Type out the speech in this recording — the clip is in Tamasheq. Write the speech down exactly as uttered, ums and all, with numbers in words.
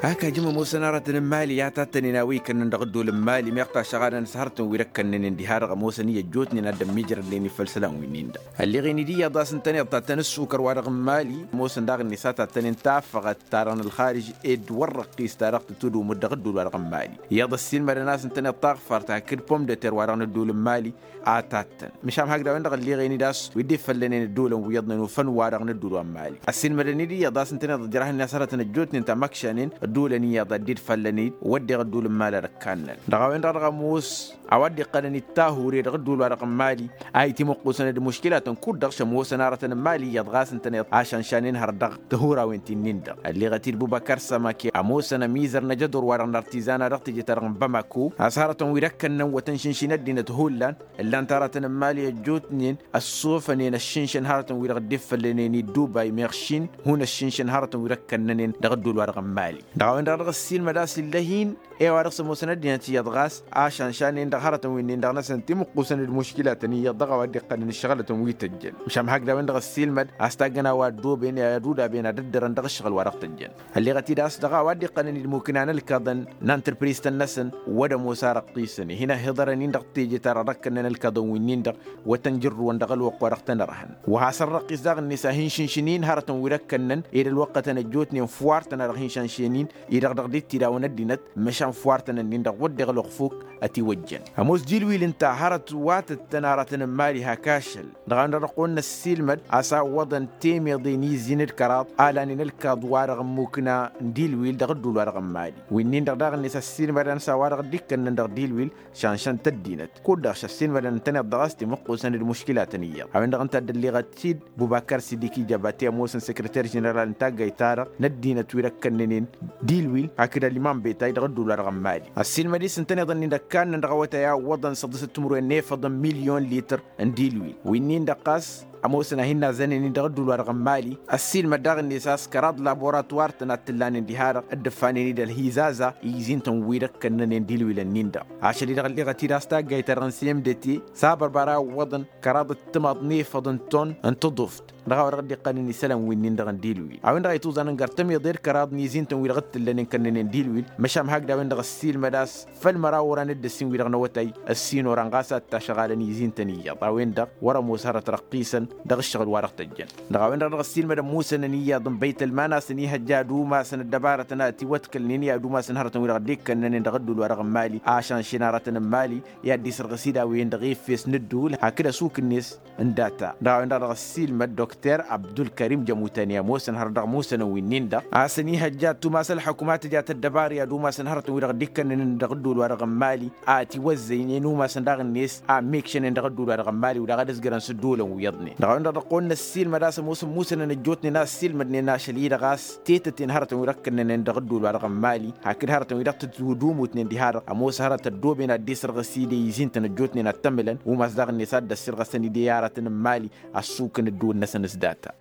Ak ajǝm ămoosăn aratăn n-imali a tattănen a-wa ikănnăn dăɣ-ăddol n-imali meɣ tašăɣadăn s-hărătăn wi d-ăkkănnănen diha-dăɣ ămoosăn i-ăjjootnen ad-dd-ămmiijrădnen i-făll isălan wi-nin-dăɣ. Ălleɣen-dd iyyăḍ a-s ǝntăneḍ tattăn ǝssukăr-wa-dăɣ n-imali ămoosăn daɣ-net a tattănen tafăɣăt ta-dăɣ n-ălxarǝj ed wăr răqqis ta dăɣ-tǝtwǝdǝwǝm-dd dăɣ-ăddol-wa-dăɣ n-imali. Iyyăḍ ăssiilmădăn a-s ǝntăneḍ taɣfart hakd pom d-ăter-wa-dăɣ n-ăddol n-imali a tattăn. Măšan hakd a-wen-dăɣ ălleɣen-dd a-s wi dd-ifăllănen ăddolăn wi iyyăḍnen ufăn-wa-dăɣ n-ăddol wa n-imali ăssiilmădăn-dd iyyăḍ a-s ǝntăneḍ ǝjrăhnen a-s hărătăn ăjjootnen ta măkšanen ăddolăn iyyăḍ a dd-ifăllăn-dd wădden ăddol n-imali ad-ăkkannăn dăɣ-a-wen-dăɣ dăɣ-ămoos a-wa dd-iqqălăn d-tahure dăɣ-ăddol-wa-dăɣ n-imali a itimǝqqusăn d-muškilatăn kud-dăɣ šămoosăn aratăn n-imali iyyăḍ ɣas ǝntăneḍ ašanšanen har dăɣ-tihurawen ti-nin-dăɣ. Ălleɣăt-dd bubăkăr sămake ămoosăn ămizăr n-ajădor-wa-dăɣ n-artizana dăɣ-teje-ta-dăɣ n-bamako a-s hărătăn wi d-ăkkănnăn wăt ănšǝnšin ăddinăt hullan ǝllan-t aratăn n-imali ăjjootnen ăssofănen ăššǝnšăn hărătăn wi-dăɣ dd-iffăllănen i-dubay meɣ šin hun ăššǝnšăn hărătăn wi d-ăkkănnănen dăɣ-ăddol-wa-dăɣ n-imali. Dăɣ-a-wen-dăɣ dăɣ-ăssiilmăd a-s illa hin-e wa dăɣ-s ămoosăn ăddinăt iyyăḍ ɣas ašănšan-en-dăɣ hărătăn wi-nin-dăɣ năsăn timǝqqusăn d-muškilatăn iyyăḍ dăɣ-a-wa dd-iqqălăn ǝššăɣǝlătăn wi tăjjăn. Măšan hakd a-wen-dăɣ ăssiilmăd a-s taggăn a-wa ăddooben i-ad-udaben ad-ăddărăn dăɣ-ǝššăɣǝl-wa-dăɣ tăjjăn. Ălleɣăt-dd a-s dăɣ-a-wa dd-iqqălăn d-imukna n-ălkaḍăn n-antrăpris-tăn-năsăn wăr-ămoos arăqqisăn ihǝnăhhiḍărăn-in dăɣ-teje-ta-dăɣ d-ăkkănnăn ălkaḍăn wi-nin-dăɣ wăr tăn-jǝrrǝwăn dăɣ-ălwăqq wa dăɣ-tăn-ărhăn wa has-ărrăqqis daɣ-net a hin-šǝnšǝn-in hărătăn wi d-ăkkănnăn ed ălwăqqătăn ăjjootnen fuwartăn a dăɣ-hin-šănšen-in-i-dăɣ dăɣ-dd-ittidawăn ăddinăt măšan fuwartăn-nin-dăɣ wădden ălwăqq fuk ătiwăjjăn. Ămoos dilwil ǝnta hărăt wa tăttăn aratăn n-imali hak ašăl dăɣ-a-wen-dăɣ dăɣ-kăwăn-năssiilmăd a-s a ǝwwăḍăn temeḍe n-izin d-kăraḍ a lanen ălkaḍ-wa-dăɣ n-imukna n-dilwil dăɣ-ăddul-wa-dăɣ n-imali wi-nin-dăɣ daɣ-net ăssiilmăd-anăs a-wa-dăɣ dd-ikkănnăn dăɣ-dilwil. Šănšăn-t ăddinăt kud-dăɣ šăssiilmădăn ǝntăneḍ-dăɣ a-s timǝqqusăn d-muškilatăn iyyăḍ a-wen-dăɣ ǝnta a dd-ălleɣăt-dd bubăkăr sidiki jabate ămoosăn săkrăter ženeral n-taggayt-ta-dăɣ n-ăddinăt wi d-ăkkănnănen dilwil hakd ălimam betay dăɣ-ăddul-wa-dăɣ n-imali. Ăssiilmăd-i s-ǝntăneḍ-nin d-ăkkannăn dăɣ-awătay a ǝwwăḍăn săḍisăt timǝrwen n-efăḍăn milyon lităr n-dilwil wi-nin-dăɣ ɣas ămoosăn a hin-nazănen-in dăɣ-ăddul-wa-dăɣ n-imali. Ăssiilmăd daɣ-net a-s kăraḍ laboratwar-tăn a t-ǝllanen diha-dăɣ dd-ǝffanen-dd ălhizază i-izin-tăn wi d-ăkkănnănen dilwil-nin-dăɣ ašăl-i-dăɣ ălleɣăt-dd a-s taggayt-ta-dăɣ n-semdete s-abărbara ǝwwăḍăn kăraḍ d-timaḍ n-efăḍ n-ton n-tǝḍuft dăɣ-a-wa dăɣ-dd-iqqălăn isălan wi-nin-dăɣ n-dilwil a-wen-dăɣ a ituẓanăn gar tămiḍe d-kăraḍ n-izin-tăn wi dăɣ-t-ǝllănen kănnănen dilwil. Măšan hakd a-wen-dăɣ ăssiilmăd a-s făll-măraw oran d-ǝssin wi-dăɣ n-awătay ăssin oran ɣas a ǝttašăɣalăn izin-tăn iyyăḍ a-wen-dăɣ wăr-ămoos hărăt răqqisăn dăɣ-ǝššăɣǝl wa dăɣ-tăjjăn. Dăɣ-a-wen-dăɣ dăɣ-ăssiilmăd ămmusănăn iyyăḍ n-băytălman a-s ănihăjja ad-umasăn ăddăbarătăn a ătiwăḍkălnen i-ad-umasăn hărătăn wi-dăɣ dd-ikkănnănen dăɣ-ăddul wa dăɣ-n mali ašănšen arătăn n-mali i-ad-dd-isărɣǝs idawăyăn dăɣ-efes n-ăddul hakd ăsuk-net n-data. Dăɣ-a-wen-dăɣ dăɣ-ăssiilmăd dokter abdulkărim jămutăne ămoosăn hărăt dăɣ-ămoosănăn wi-nin-dăɣ a-s ănihăjja ad-tumas ălḥukuma tǝja tăddăbar i-ad-umasăn hărătăn wi-dăɣ dd-ikkănnănen dăɣ-ăddul wa dăɣ-n mali a ătiwăzzăynen umasăn daɣ-net a ămmekšănen dăɣ-ăddul wa dăɣ-n mali wi daɣ ad-ǝzgărăn s-ăddolăn wi iyyăḍnen dăɣ-a-wen-dăɣ dăɣ-kăwăn-năs silmăd a-s ămoosăn musănăn ăjjootnen a ăssiilmădnen ašăl-i-dăɣ a-s tetăten hărătăn wi dăɣ-kănnănen dăɣ-ăddol wa dăɣ-n mali hakd hărătăn wi dăɣ-tăt-dd-umutnen diha-dăɣ ămoos hărăt ăddooben ad-dd-isărɣǝs-i d-izin-tăn ăjjootnen ad-t-ămǝlăn umas daɣ-net ad-dd-ăssirɣăsăn-dd i-aratăn n-mali ăssukǝn ăddooben-năsăn s-data.